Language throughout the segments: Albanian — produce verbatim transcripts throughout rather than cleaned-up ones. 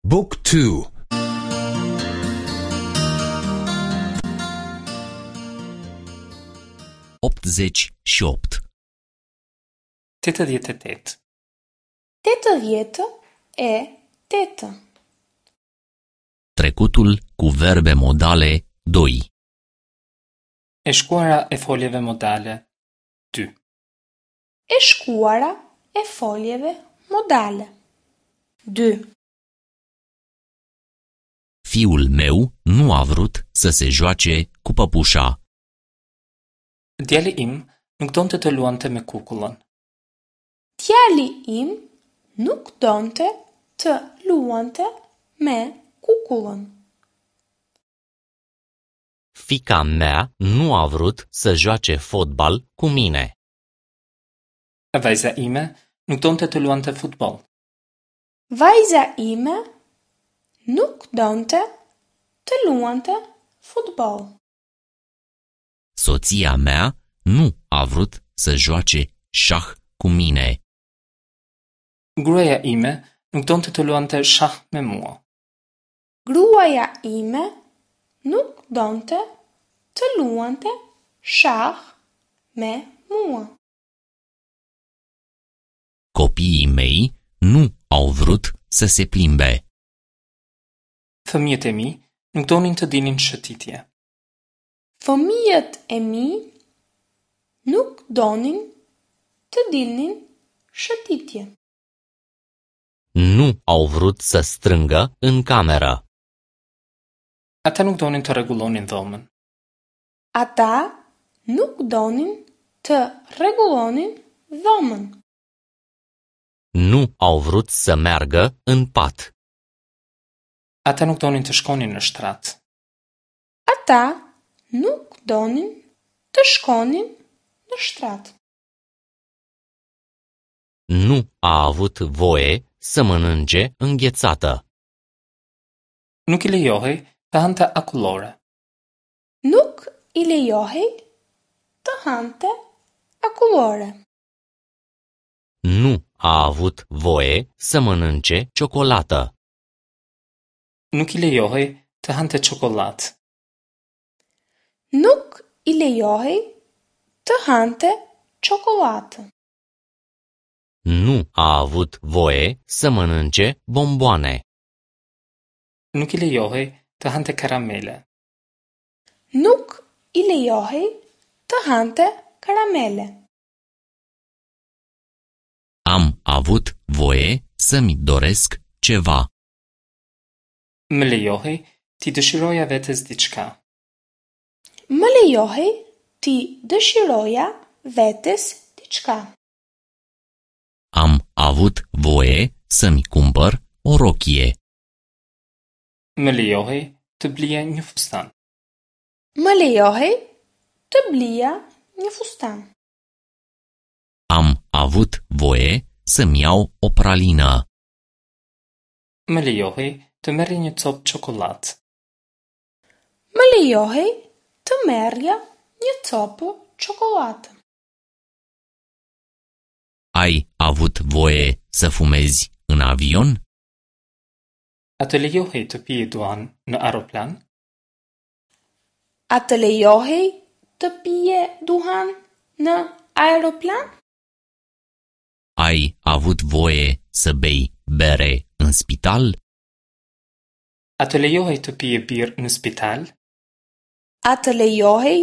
Book two. Optzeci și opt. Tetëdhjetë e tetë. Tetëdhjetë e tetë. Trecutul cu verbe modale doi. E shkuara e foljeve modale dy. E shkuara e foljeve modale dy. Fiul meu nu a vrut să se joace cu păpușa. Djali im nuk donte të luante me kukullën. Djali im nuk donte të luante me kukullën. Fiica mea nu a vrut să joace fotbal cu mine. Vajza ime nuk donte të luante futboll. Vajza ime nuk donte të luante futboll. Soția mea nu a vrut să joace șah cu mine. Gruaja ime nuk donte të luante shah me mua. Gruaja ime nuk donte të luante shah me mua. Copiii mei nu au vrut să se plimbe. Fëmijët e mi nuk donin të dilnin shëtitje. Fëmijët e mi nuk donin të dilnin shëtitje. Nu au vrut să strângă în cameră. Ata nuk donin të rregullonin dhomën. Ata nuk donin të rregullonin dhomën. Nu au vrut să meargă în pat. Ata nuk donin të shkonin në shtrat. Ata nuk donin të shkonin në shtrat. Nu a avut voie să mănânce înghețată. Nuk i lejohej të hante akullore. Nuk i lejohej të hante akullore. Nu a avut voie să mănânce ciocolată. Nuk i lejohej të hante çokollatë. Nuk i lejohej të hante çokollatë. Nu a avut voie să mănânce bomboane. Nuk i lejohej të hante karamele. Nuk i lejohej të hante karamele. Am avut voie să-mi doresc ceva. Më lejohej t'i dëshiroja vetes diçka. Më lejohej t'i dëshiroja vetes diçka. Am avut voie să-mi cumpăr o rochie. Më lejohej të blija një fustan. Më lejohej të blija një fustan. Am avut voie să-mi iau o pralină. Më lejohej të merrja një copë çokollatë. Më lejohej të merrja një copë çokollatë. Ai avut voie să fumezi în avion? A të lejohej të pije duhan në aeroplan? A të lejohej të pije duhan në aeroplan? Ai avut voie să bei bere în spital? A të lejohej të pije birrë në spital? A të lejohej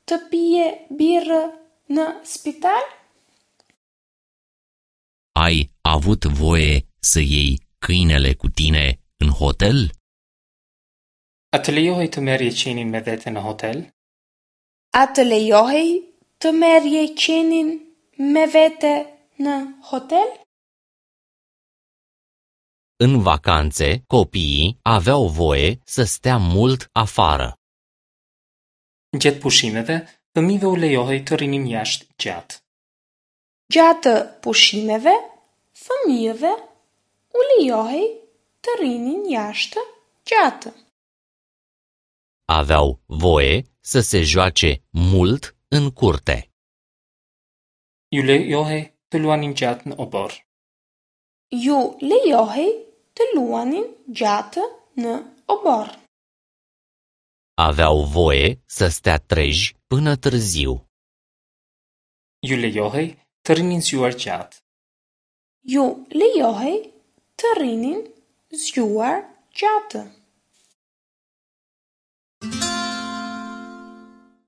të pije birrë në spital? Ai avut voie să iei câinele cu tine în hotel? A të lejohej të merrje qenin me vete në hotel? A të lejohej të merrje qenin me vete në hotel? În vacanțe, copiii aveau voie să stea mult afară. Gjatë pushimeve, fëmijëve u lejohej të rrinin jashtë gjatë. Gjatë pushimeve, fëmijëve u lejohej të rrinin jashtë gjatë. Aveau voie să se joace mult în curte. Ju lejohej të luanin gjatë në oborr. Ju lejohej të luanin gjatë në oborr. Aveau voie să stea treji până târziu. Ju lejohej të rrinin zgjuar gjatë. Ju lejohej të rrinin zgjuar gjatë.